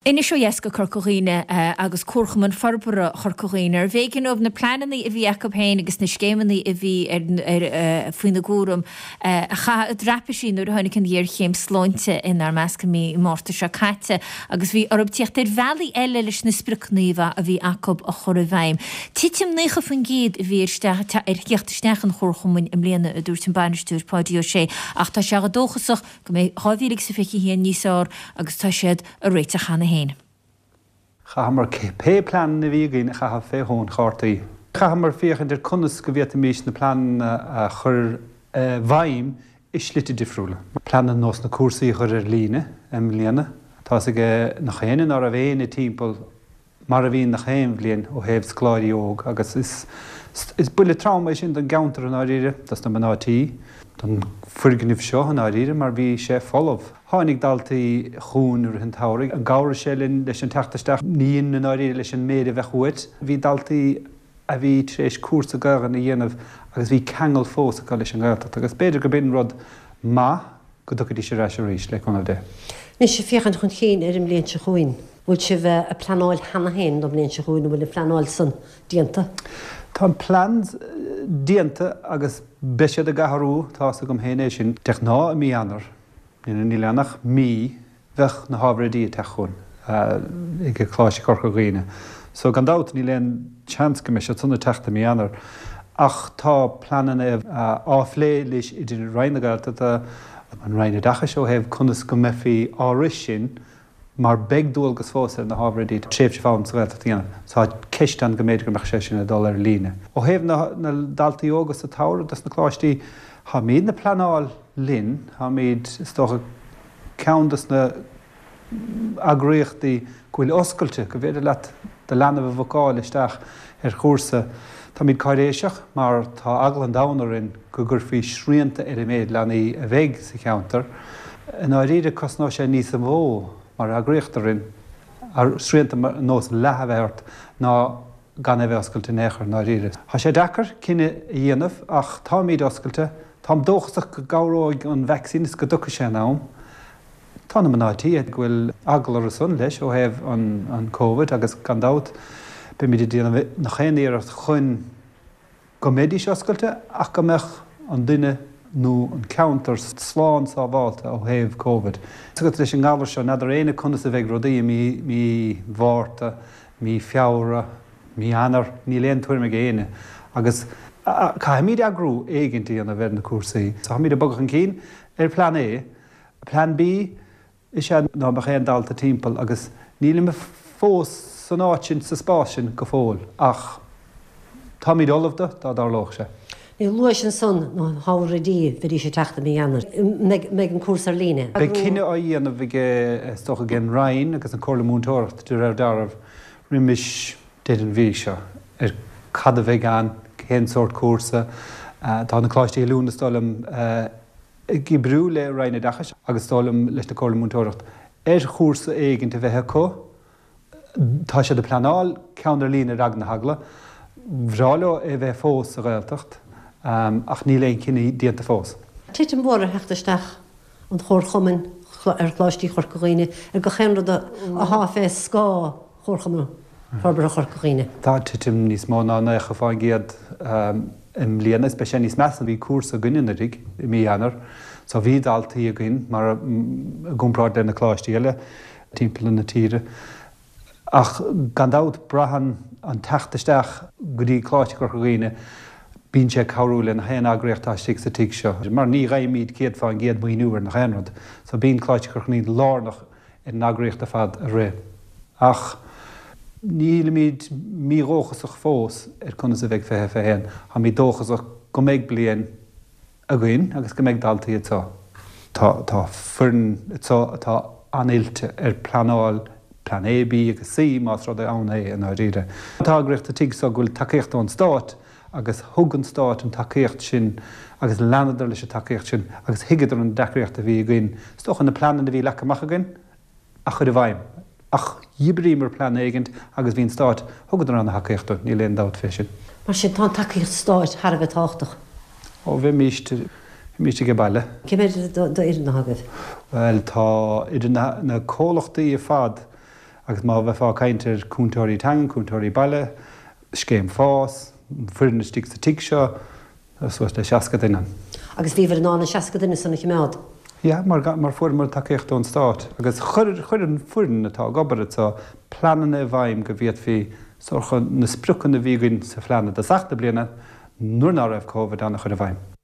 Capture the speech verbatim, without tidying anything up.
Anois ó dheas go Corca Dhuibhne agus Comharchumann Forbartha Chorca Dhuibhne arbh éigean dóibh na pleananna a bhí acu féin agus na scéimeanna a bhí ar faoina gcúram a chaitheamh i dtraipisí nuair a tháinig an ghéarchéim sláinte inár measc i mí Márta seo caite agus bhí orthu tíocht ar bhealaí eile leis na spriocanna a bhí acu a chur i bhfeidhm. Titim naocha faoin gcéad a bhí ar ar theacht isteach an Chomharchumainn i mbliana a dúirt an bainisteoir Páidí Ó Sé ach tá sé dóchasach go mbeidh dhá mhíle agus a fiche a haon níos fearr agus tá siad ag réiteach cheana féin. Chaitheamar pé plean a bhí againn a chaitheamh fé thóin chártaí. Chaitheamar féachaint ar conas go bhféadfaimis na pleananna a chur i bhfeidhm i slite difriúla. Pleananna nós na cúrsaí a chur ar líne i mbliana. Tá's ag nach éinne ná raibh éinne timpeall mar a bhíonn nach aon bhliain ó thaobh scoláirí óg agus is is buille trom é sin don gceantar i ndáiríre, dos na mná tí, don foirgneamh seo i ndáiríre mar bhí sé folamh. Tháinig daltaí chugainn i rith an tsamhraidh. An gcabhraigh sé linn leis an teacht isteach? Ní i ndáiríre leis an méid a bheadh uait. Bhí daltaí a bhí tar éis cúrsa Gaelainne a dhéanamh agus bhí ceangal fós acu leis an nGaeltacht agus b'fhéidir go b'in rud maith go dtiocfaidís ar ais arís, le cúnamh Dé. Anois ag féachaint chun cinn ar an mbliain seo chugainn, bhfuil sibh ag pleanáil cheana féin don mbliain seo chugainn, an bhfuil an phleanáil san déanta? Tá an plean déanta agus beidh siad ag athrú, tá's agam féin é sin. De ghnáth i mí Eanáir, níl ann ach mí, bheadh na hábhair oidí ag teacht chugainn ag Coláiste Chorca Dhuibhne. So gan dabht níl aon seans go mbeidh siad san ag teacht i mí Eanáir. Ach tá pleananna á phlé leis idir Roinn na Gaeltachta, an Roinn Oideachais ó thaobh conas go mbeifí á rith sin mar beidh dualgas fós ar na hábhair oidí tréimhse foghlama sa Ghaeltacht a dhéanamh. Tá ceist ann go mb'fhéidir go mbeadh sé sin ag dul ar líne. Ó thaobh na ndaltaí óga sa tsamhradh dos na coláistí, táimidne ag pleanáil linn, táimid, is dócha, ceann dos na eagraíochtaí go bhfuil oscailte, go bhféidir leat do leanbh a bhookáil isteach ar chúrsa. Táimid cáiréiseach mar tá eagla an domhain orainn go gcuirfí srianta ar an méid leanaí a bheidh sa cheantar. I ndáiríre cosnóidh sé níos mó mar eagraíocht orainn srianta nós leath a bheith ort ná gan é bheith oscailte in aon chor i ndáiríre. Tá sé deacair cinneadh a dhéanamh ach táimid oscailte. Táim dóchasach go gcabhróidh an vacsaín is go dtiocfaidh sé in am. Tá na mná tí go bhfuil eagla orthu san leis ó thaobh an Covid agus gan dabht beimid ag déanamh nach aon iarracht chun go mbeidís oscailte ach go mbeadh an duine nó an ceantar slán sábháilte ó thaobh Covid. Agus leis an ngalar seo, n'fheadar éinne conas a bheidh rudaí i mí mí Mhárta, mí Feabhra, mí Eanáir, níl aon tuairim ag éinne agus caithfimid eagrú éigint a dhéanamh ar na cúrsaí. Táimid ag bogadh chun cinn ar plean A. Plean B is ea ná beadh aon dalta timpeall agus nílim fós san áit sin, sa spás sin go fóill ach táimid ullamh do dá dtarlódh sé. Luais ansan na hábhair oidí, bheidís ag teacht i mí Eanáir. Mbeidh an cúrsa ar líne? Beidh cinneadh á dhéanamh ag, is dócha, ag an Roinn agus an Comhairle Múinteoireachta de réir dealraimh roimis deireadh an mhí seo ar cad a bheidh ann, cén sórt cúrsa. Tá na Coláistí Oiliúna is dóigh liom ag oibriú le Roinn Oideachais agus is dóigh liom leis na Comhairle Múinteoireachta ar chúrsa éigint a bheith acu. Tá siad ag pleanáil ceann ar líne ar eagla na heagla. Bhreá leo é bheith fós sa Ghaeltacht ach níl aon chinneadh déanta fós. Titim mhór ar theacht isteach an Chomharchumainn ar Choláistí Chorca Dhuibhne, ar gach aon rud athá fé scáth Chomharchumann Forbartha Chorca Dhuibhne. Tá titim níos mó ná naocha fán gcéad i mbliana is beidh sé níos measa. Bhí cúrsa againn anuraidh i mí Eanáir so bhí daltaí againn mar i gcomparáid le na coláistí eile timpeall na tíre. Ach gan dabht braitheann an teacht isteach go dtí Coláiste Chorca Dhuibhne, bíonn sé ag cabhrú le nach aon eagraíocht atá istigh sa tigh seo mar ní gheibhimid céad fán gcéad maoiniú ar nach aon rud. So bíonn Coláiste Chorca Dhuibhne lárnach ar an eagraíocht ar fad a rith. Ach nílimid mídhóchasach fós ar conas a bheidh fiche fiche haon. Táimid dóchasach go mbeidh bliain againn agus go mbeidh daltaí anseo. Tá tá foireann anseo atá an-oilte ar pleanáil plean A, B agus C más rud é ann é i ndáiríre. Tá eagraíocht sa tigh seo go bhfuil tacaíocht ón Stát agus thug an Stát an tacaíocht sin agus leanadar leis an tacaíocht sin agus thuigeadar an deacraíocht a bhí againn. Is dócha na pleananna a bhí leagtha amach againn a chur i bhfeidhm. Ach dh'oibríomar plean éigint agus bhí an Stát, thugadar an-thacaíocht dúinn, níl aon dabht fé sin. Mar sin, tá an tacaíocht Stáit thar a bheith tábhachtach. Ó, bheimíst, bheimíst age baile. Cé mhéad d'fhoireann atá agaibh? Bhuel, tá idir na, na comhlachtaí ar fad, Agus má bheifeá ag caint ar cúntóirí teanga, cúntóirí baile, scéim fás, foireann istigh sa tigh seo, tá suas le seasca duine ann. Agus bhíobhair in ann an seasca duine san a choimeád? Yeah, mar mar fuaireamar tacaíocht ón Stát agus chuir chuir an foireann atá ag obair anseo pleananna i bhfeidhm go bhféadfaí sórt na spriocanna a bhí againn sa phlean i dtosach na bliana nuair ná raibh Covid ann a chur i bhfeidhm.